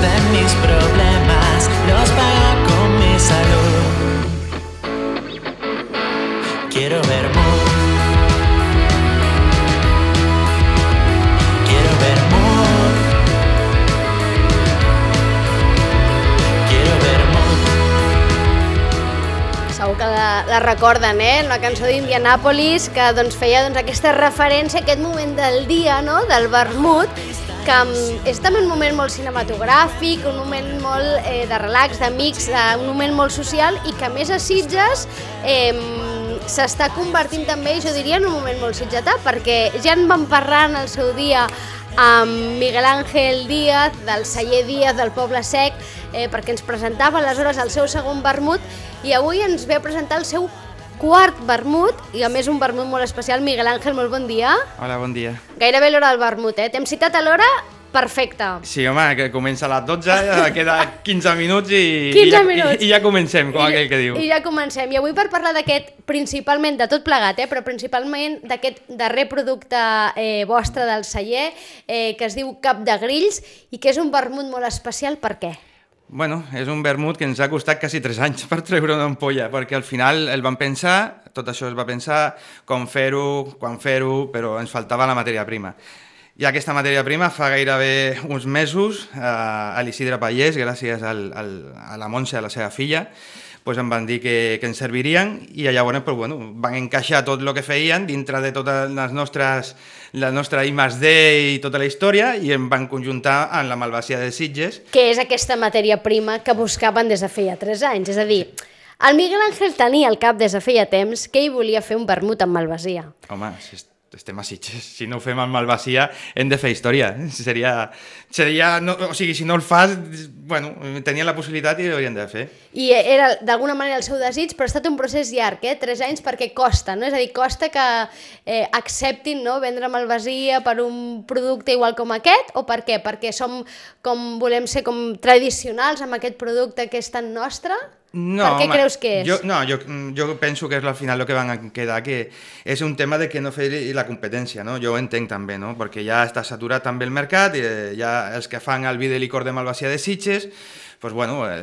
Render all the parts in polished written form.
de mis problemas los pago con mi salud. Quiero vermut. Quiero vermut. Quiero vermut. Segur que la recorden, una cançó d'Indianàpolis que feia aquesta referència a aquest moment del dia, del vermut, que és també un moment molt cinematogràfic, un moment molt de relax, d'amics, un moment molt social i que a més a Sitges s'està convertint també, jo diria, en un moment molt sitgetà, perquè ja en vam parlar en el seu dia amb Miguel Ángel Díaz, del celler Díaz del Poble Sec, perquè ens presentava aleshores el seu segon vermut i avui ens ve a presentar el seu quart vermut, i a més un vermut molt especial. Miguel Ángel, molt bon dia. Hola, bon dia. Gairebé l'hora del vermut, T'hem citat a l'hora perfecta. Sí, home, que comença a les 12, queda 15 minuts i ja comencem, com aquell que diu. I ja comencem. I avui per parlar d'aquest, principalment de tot plegat, però principalment d'aquest darrer producte vostre del celler, que es diu Cap de Grills, i que és un vermut molt especial, per què? Bueno, és un vermut que ens ha costat quasi 3 anys per treure una ampolla, perquè al final el vam pensar, tot això es va pensar, com fer-ho, quan fer-ho, però ens faltava la matèria prima. I aquesta matèria prima fa gairebé uns mesos a l'Isidre Pallés, gràcies a la Montse, a la seva filla, em van dir que ens servirien i llavors van encaixar tot el que feien dintre de totes la nostra I+D i tota la història i em van conjuntar amb la malvasia de Sitges. Que és aquesta matèria prima que buscaven des de feia 3 anys, és a dir, el Miguel Ángel tenia al cap des de feia temps que ell volia fer un vermut amb malvasia. Home, estem a Sitges, si no ho fem amb malvasia hem de fer història, seria o sigui, si no el fas, tenia la possibilitat i ho haurien de fer. I era d'alguna manera el seu desig, però ha estat un procés llarg, 3 anys, perquè costa, és a dir, costa que acceptin vendre malvasia per un producte igual com aquest, o per què? Perquè volem ser com tradicionals amb aquest producte que és tan nostre? No, per què creus que és? Jo penso que és al final el que van quedar, que és un tema de que no fer la competència, no? Jo ho entenc també, no? Perquè ja està saturat també el mercat, ja els que fan el vi de licor de malvasia de Sitges,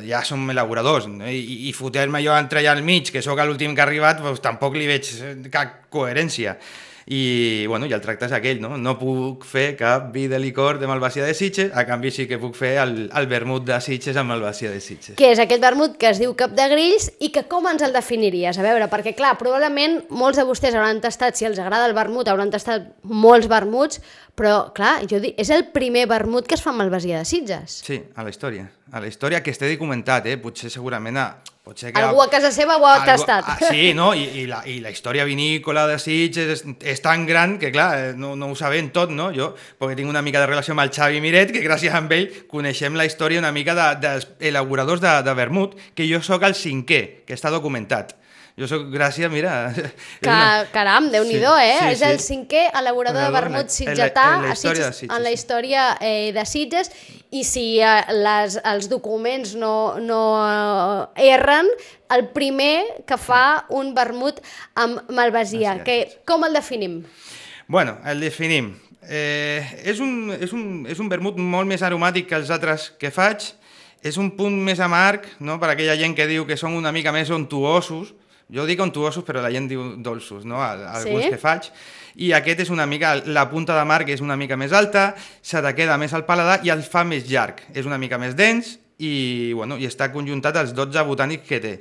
ja som elaboradors, no? I fotre-me jo entre allà al mig, que sóc l'últim que ha arribat, tampoc li veig cap coherència. I el tracte és aquell, no puc fer cap vi de licor de malvasia de Sitges, a canvi sí que puc fer el vermut de Sitges amb malvasia de Sitges. Que és aquest vermut que es diu Cap de Grills i que com ens el definiries? A veure, perquè clar, probablement molts de vostès hauran tastat, si els agrada el vermut, hauran tastat molts vermuts, però clar, és el primer vermut que es fa amb malvasia de Sitges. Sí, a la història que esté documentat, potser segurament algú a casa seva ho ha tastat. Sí, no? I la història vinícola de Sitges és tan gran que, clar, no ho sabem tot, no? Jo, perquè tinc una mica de relació amb el Xavi Miret, que gràcies a ell coneixem la història una mica dels elaboradors de vermut, que jo sóc el 5è, que està documentat. Jo soc, gràcies, mira... Caram, Déu-n'hi-do, Sí, és el 5è elaborador de vermut sitgetà en la història de Sitges, i si els documents no erren, el primer que fa un vermut amb malvasia. Com el definim? Bueno, el definim. És un vermut molt més aromàtic que els altres que faig, és un punt més amarg, no? Per aquella gent que diu que són una mica més ontuosos. Jo dic ontuosos, però la gent diu dolços, no? Alguns que faig. I aquest és una mica, la punta d'amarg és una mica més alta, se te queda més al paladar i el fa més llarg. És una mica més dens i està conjuntat als 12 botànics que té.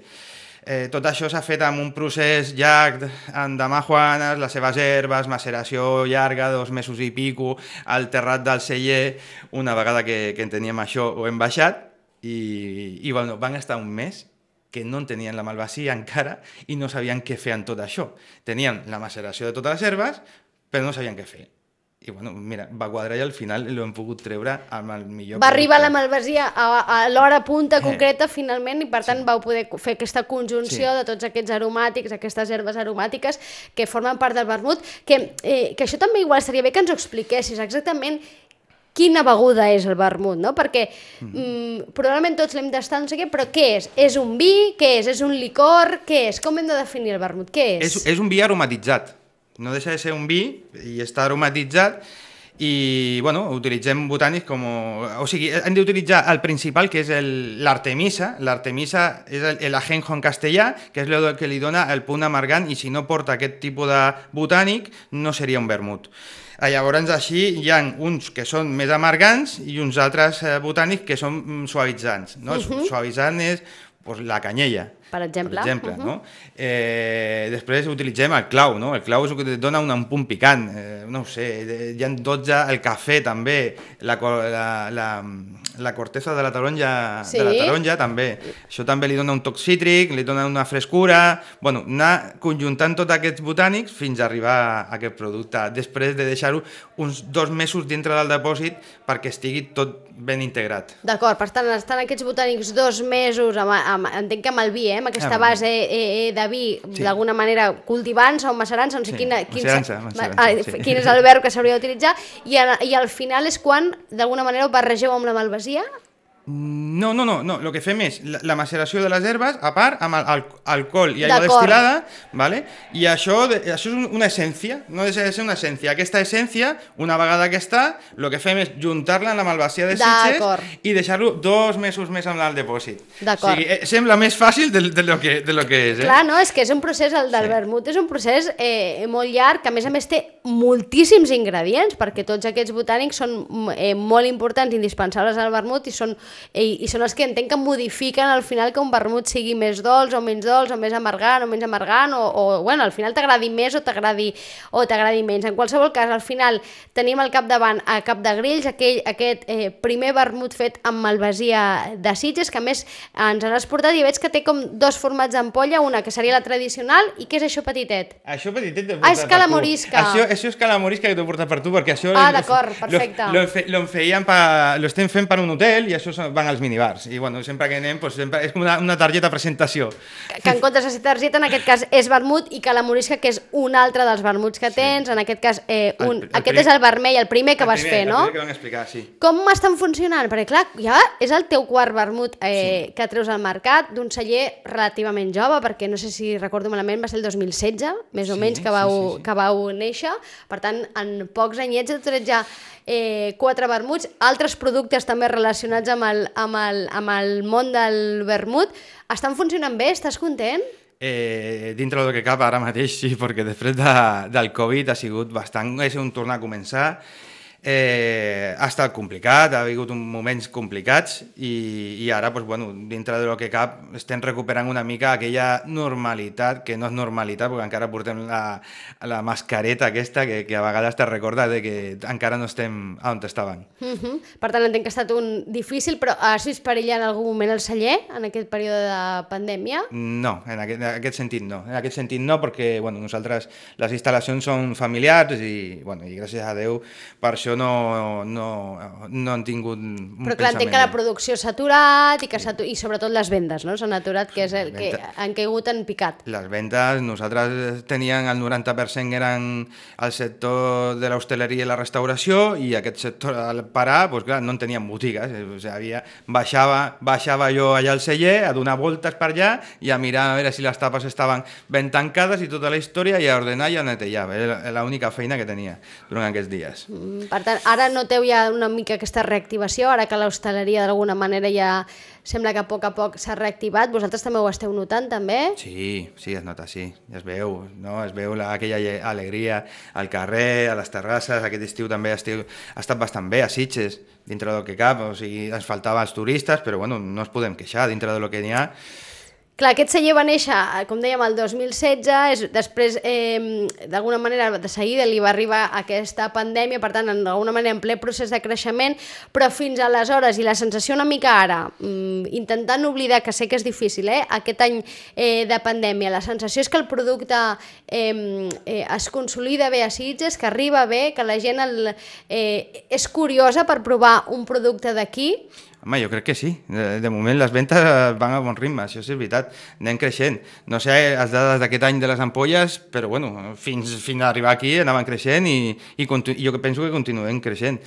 Tot això s'ha fet amb un procés llarg amb damajuanes, les seves herbes, maceració llarga, 2 mesos i pico, al terrat del celler. Una vegada que en teníem això ho hem baixat i van estar un mes que no en tenien la malvasia encara i no sabien què fer amb tot això. Tenien la maceració de totes les herbes, però no sabien què fer. I mira, va quadrar i al final l'hem pogut treure amb el millor... Va arribar la malvasia a l'hora punta concreta finalment i per tant vau poder fer aquesta conjunció de tots aquests aromàtics, aquestes herbes aromàtiques que formen part del vermut, que això també igual estaria bé que ens ho expliquessis exactament quina beguda és el vermut, no? Perquè probablement tots l'hem d'estar, no sé què, però què és? És un vi? Què és? És un licor? Què és? Com hem de definir el vermut? Què és? És un vi aromatitzat. No deixa de ser un vi i està aromatitzat i bueno, utilitzem botànics com... O sigui, hem d'utilitzar el principal, que és l'artemisa. L'artemisa és l'ajenjo en castellà, que és el que li dona el punt amargant, i si no porta aquest tipus de botànic no seria un vermut. Llavors així hi ha uns que són més amargants i uns altres botànics que són suavitzants. No? Suavitzant és la canyella, per exemple. No? Després utilitzem el clau, no? El clau és el que et dona un punt picant, no ho sé, hi ha 12, el cafè també, la corteza de la taronja, també, això també li dona un toc cítric, li dona una frescura, bueno, anar conjuntant tots aquests botànics fins a arribar a aquest producte, després de deixar-ho uns 2 mesos dintre del depòsit perquè estigui tot ben integrat. D'acord, per tant, estan aquests botànics 2 mesos, entenc que amb el vi, amb aquesta base de vi, d'alguna manera cultivant-se o macerant-se, no sé quin és el verb que s'hauria d'utilitzar, i al final és quan, d'alguna manera, ho barregeu amb la malvasia? No, el que fem és la maceració de les herbes, a part, amb alcohol i aigua destil·lada, ¿vale? I això és una essència, no deixa de ser una essència. Aquesta essència, una vegada que està, el que fem és juntar-la amb la malvasia de Sitges i deixar-lo 2 mesos més amb el depòsit. O sigui, sembla més fàcil de lo que és. Clar, no, és que és un procés, el del vermut és un procés molt llarg, que a més té moltíssims ingredients, perquè tots aquests botànics són molt importants, indispensables al vermut, i són els que entenc que modifiquen al final que un vermut sigui més dolç o menys dolç, o més amargant o menys amargant, o bueno, al final t'agradi més o t'agradi menys. En qualsevol cas, al final tenim al capdavant a Capdegrills aquest primer vermut fet amb malvasia de Sitges, que a més ens han exportat, i veig que té com 2 formats d'ampolla, una que seria la tradicional, i què és això petitet? Això petitet t'ho portat per tu. És calamorisca. Això és calamorisca que t'ho portat per tu, perquè això... D'acord, perfecte. Lo estem fent per un hotel, i això van als minibars, i bueno, sempre que anem sempre és com una targeta de presentació, que en comptes de ser targeta en aquest cas és vermut, i calamorisca, que és un altre dels vermuts que tens, en aquest cas aquest és el vermell, el primer que vas fer, no? El primer que vam explicar, sí. Com estan funcionant? Perquè clar, ja és el teu quart vermut que treus al mercat, d'un celler relativament jove, perquè no sé si recordo malament, va ser el 2016 més o menys que vau néixer, per tant en pocs anyets heu tret ja 4 vermuts, altres productes també relacionats amb el món del vermut. Estan funcionant bé? Estàs content? Dintre del que cap ara mateix sí, perquè després del Covid ha sigut bastant... És un tornar a començar. Ha estat complicat, ha hagut moments complicats, i ara, dintre del que cap, estem recuperant una mica aquella normalitat, que no és normalitat, perquè encara portem la mascareta aquesta, que a vegades te recorda que encara no estem on estàvem. Per tant, entenc que ha estat un difícil, però has vist perillar en algun moment el celler, en aquest període de pandèmia? No, en aquest sentit no. En aquest sentit no, perquè nosaltres, les instal·lacions són familiars, i gràcies a Déu, per això no han tingut un pensament. Però clar, entenc que la producció s'ha aturat, i sobretot les vendes, no? S'han aturat, que és el que han caigut en picat. Les vendes, nosaltres teníem el 90% eren el sector de l'hostaleria i la restauració, i aquest sector al parar, clar, no en teníem botigues. O sigui, baixava jo allà al celler a donar voltes per allà i a mirar a veure si les tapes estaven ben tancades i tota la història, i a ordenar i a netejar. Era l'única feina que tenia durant aquests dies. Per tant, ara noteu ja una mica aquesta reactivació, ara que l'hostaleria d'alguna manera ja sembla que a poc s'ha reactivat. Vosaltres també ho esteu notant, també? Sí, es nota, sí. Es veu, no? Es veu aquella alegria al carrer, a les terrasses. Aquest estiu també ha estat bastant bé a Sitges, dintre del que cap. O sigui, ens faltaven els turistes, però no ens podem queixar dintre del que n'hi ha. Clar, aquest celler va néixer, com dèiem, el 2016, després, d'alguna manera, de seguida li va arribar aquesta pandèmia, per tant, d'alguna manera, en ple procés de creixement, però fins aleshores, i la sensació una mica ara, intentant oblidar, que sé que és difícil, aquest any de pandèmia, la sensació és que el producte es consolida bé a Sitges, que arriba bé, que la gent és curiosa per provar un producte d'aquí. Home, jo crec que sí. De moment les ventes van a bon ritme, això sí, és veritat. Anem creixent. No sé les dades d'aquest any de les ampolles, però fins a arribar aquí anaven creixent, i jo penso que continuem creixent.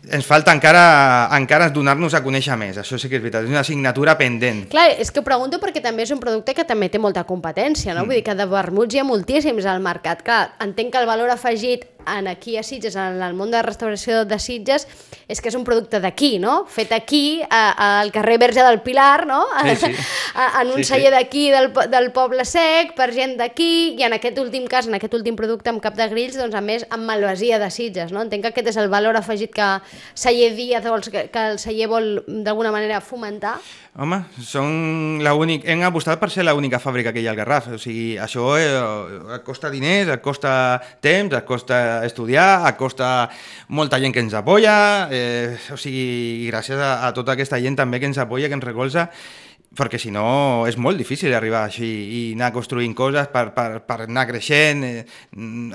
Ens falta encara donar-nos a conèixer més, això sí que és veritat, és una assignatura pendent. Clar, és que ho pregunto perquè també és un producte que també té molta competència, no? Vull dir que de vermuts hi ha moltíssims al mercat. Clar, entenc que el valor afegit aquí a Sitges, en el món de la restauració de Sitges, és que és un producte d'aquí, no? Fet aquí, al carrer Verge del Pilar, no? Sí. En un celler d'aquí, del Poble Sec, per gent d'aquí, i en aquest últim cas, en aquest últim producte amb cap de grills, doncs a més amb malvasia de Sitges, no? Entenc que aquest és el valor afegit que Celler Díaz, que el celler vol d'alguna manera fomentar. Home, hem apostat per ser l'única fàbrica que hi ha al Garraf. O sigui, això et costa diners, et costa temps, et costa estudiar, et costa molta gent que ens apoya, o sigui, gràcies a tota aquesta gent també que ens apoya, que ens recolza, perquè si no és molt difícil arribar així i anar construint coses per anar creixent.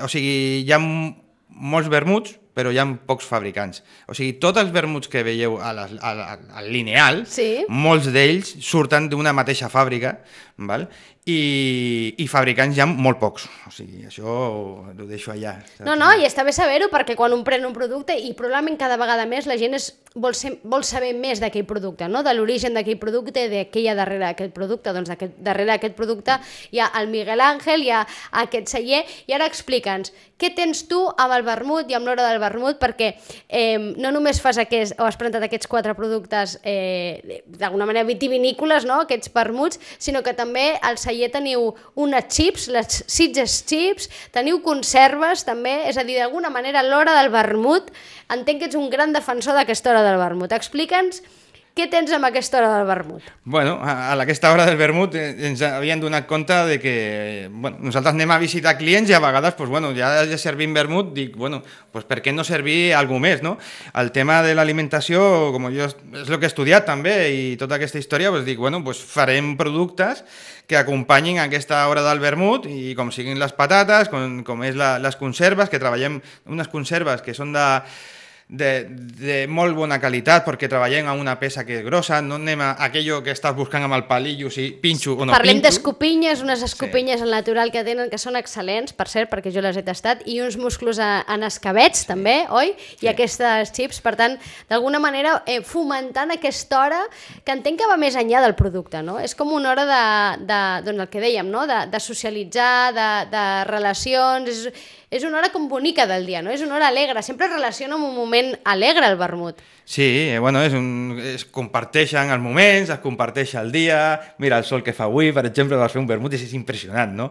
O sigui, hi ha molts vermuts, però hi ha pocs fabricants. O sigui, tots els vermuts que veieu al lineal, sí, molts d'ells surten d'una mateixa fàbrica, val? I fabricants hi ha molt pocs. O sigui, això ho deixo allà. No, i està bé saber-ho, perquè quan un pren un producte, i probablement cada vegada més la gent vol saber més d'aquell producte, no? De l'origen d'aquell producte, de què hi ha darrere d'aquest producte. Doncs darrere d'aquest producte hi ha el Miguel Ángel, hi ha aquest celler, i ara explica'ns, què tens tu amb el vermut i amb l'hora del vermut, perquè no només has presentat aquests 4 productes d'alguna manera vitivinícoles, no? Aquests vermuts, sinó que també al celler teniu unes chips, les Sitges Chips, teniu conserves també, és a dir, d'alguna manera l'hora del vermut, entenc que ets un gran defensor d'aquesta hora del vermut. Explica'ns què tens amb aquesta hora del vermut. Bueno, a aquesta hora del vermut ens havien donat compte de que nosaltres anem a visitar clients i a vegades ja servim vermut, dic, per què no servir alguna més, no? El tema de l'alimentació, com jo és el que he estudiat també i tota aquesta història, dic, farem productes que acompanyin aquesta hora del vermut i com siguin les patates, com és les conserves, que treballem unes conserves que són de molt bona qualitat perquè treballem amb una peça que és grossa, no anem a aquello que estàs buscant amb el palillo, si pinxo o no pinxo. Parlem d'escopinyes, unes escopinyes al natural que tenen, que són excel·lents, per cert, perquè jo les he tastat, i uns musclos en escabets també, oi? I aquestes chips, per tant, d'alguna manera fomentant aquesta hora que entenc que va més enllà del producte, no? És com una hora doncs el que dèiem, no? De socialitzar, de relacions, és una hora com bonica del dia, no? És una hora alegre, sempre es relaciona amb un moment alegre el vermut. Sí, es comparteixen els moments, es comparteix el dia, mira el sol que fa avui, per exemple, vas fer un vermut i és impressionant, no?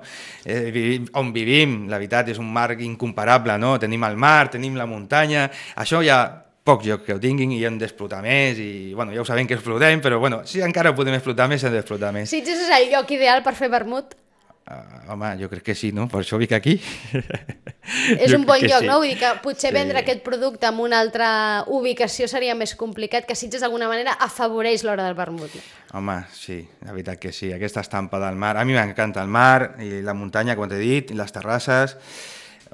On vivim, la veritat, és un mar incomparable, no? Tenim el mar, tenim la muntanya, això hi ha pocs llocs que ho tinguin i hem d'explotar més i, ja ho sabem que explotem, però, si encara ho podem explotar més, hem d'explotar més. Sitges és el lloc ideal per fer vermut? Home, jo crec que sí, no? Per això vinc aquí. És un bon lloc, no? Vull dir que potser vendre aquest producte en una altra ubicació seria més complicat, que Sitges d'alguna manera afavoreix l'hora del vermut. Home, sí, la veritat que sí. Aquesta estampa del mar. A mi m'encanta el mar i la muntanya, com t'he dit, i les terrasses.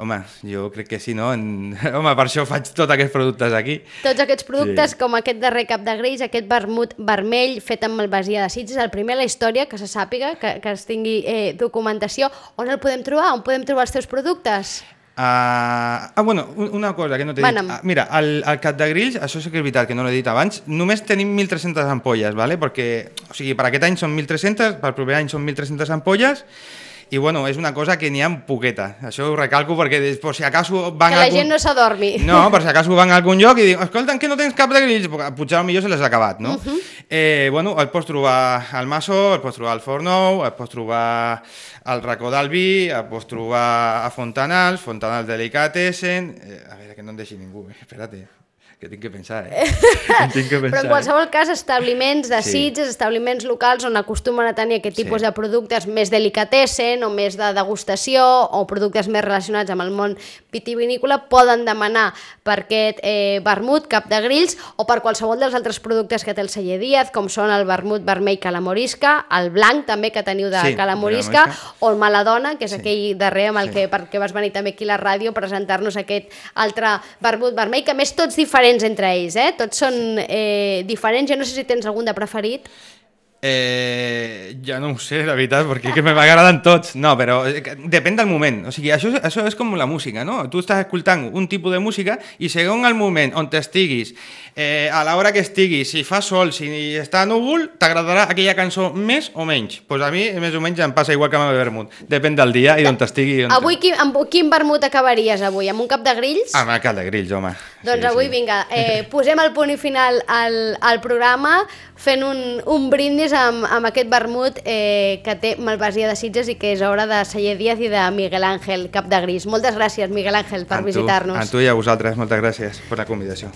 Home, jo crec que sí, no? Home, per això faig tots aquests productes aquí. Tots aquests productes, com aquest darrer cap de grills, aquest vermut vermell fet amb malvasia de Sitges, el primer a la història, que se sàpiga, que es tingui documentació. On el podem trobar? On podem trobar els teus productes? Una cosa que no t'he dit. Mira, al cap de grills, això sí que és veritat, que no l'he dit abans, només tenim 1.300 ampolles, ¿vale? Perquè, o sigui, per aquest any són 1.300, per el proper any són 1.300 ampolles, i és una cosa que n'hi ha poqueta. Això ho recalco perquè per si acaso van que la gent no s'adormi. No, per si acaso van a algun lloc i diuen, escolta, que no tens cap de grills? Potser potser se les ha acabat, no? El pots trobar al Masó, el pots trobar al Forn Nou, el pots trobar al Racó del Vi, el pots trobar a Fontanals Delicatessen... A veure, que no em deixi ningú, espérate, que tinc que pensar, Però en qualsevol cas, establiments de Sitges, establiments locals on acostumen a tenir aquest tipus de productes més delicatessen o més de degustació o productes més relacionats amb el món vitivinícola poden demanar per aquest vermut cap de grills o per qualsevol dels altres productes que té el celler Díaz, com són el vermut vermell calamorisca, el blanc també que teniu de calamorisca, o el Maladona, que és aquell darrer amb el que vas venir també aquí a la ràdio a presentar-nos aquest altre vermut vermell, que a més tots diferents entre ells, tots són diferents. Jo no sé si tens algun de preferit. Ja no ho sé, la veritat, perquè que m'agraden tots. No, però depèn del moment. O sigui, això és com la música, no? Tu estàs escoltant un tipus de música i segons el moment on t'estiguis A l'hora que estigui, si fa sol, si està núvol, t'agradarà aquella cançó més o menys. Pues a mi, més o menys, em passa igual que amb el vermut. Depèn del dia i d'on estigui. Avui, amb quin vermut acabaries avui? Amb un cap de grills? Amb el cap de grills, home. Doncs avui, vinga, posem el punt i final al programa fent un brindis amb aquest vermut que té Malvasia de Sitges i que és obra de Celler Díaz i de Miguel Ángel Capdegris. Moltes gràcies, Miguel Ángel, per visitar-nos. A tu i a vosaltres, moltes gràcies per la convidació.